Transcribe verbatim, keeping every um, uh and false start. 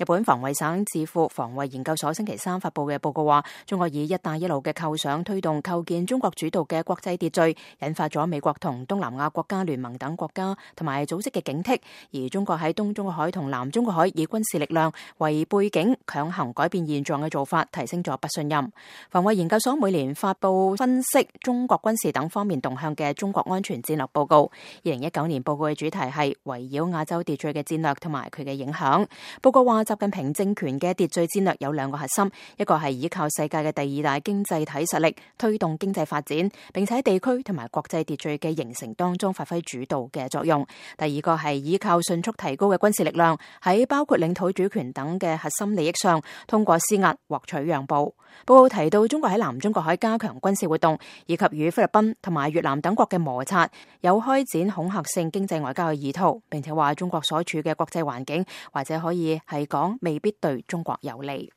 日本防衛省智庫防衛研究所星期三發布嘅報告話，中國以一帶一路嘅構想推動構建中國主導嘅國際秩序，引發咗美國同東南亞國家聯盟等國家同埋組織嘅警惕，而中國喺東中國海同南中國海以軍事力量為背景強行改變現狀嘅做法，提升咗不信任。防衛研究所每年發布分析中國軍事等方面動向嘅中國安全戰略報告，二零一九年報告嘅主題係圍繞亞洲秩序嘅戰略同埋佢嘅影響。報告話，習近平政權嘅秩序戰略有兩個核心，一個係依靠世界嘅第二大經濟體實力推動經濟發展，並且喺地區同埋國際秩序嘅形成當中發揮主導嘅作用；第二個係依靠迅速提高嘅軍事力量，喺包括領土主權等嘅核心利益上，通過施壓獲取讓步。報告提到，中國喺南中國海加強軍事活動，以及與菲律賓同埋越南等國嘅摩擦，有開展恐嚇性經濟外交嘅意圖，並且話中國所處嘅國際環境或者可以係講未必對中國有利。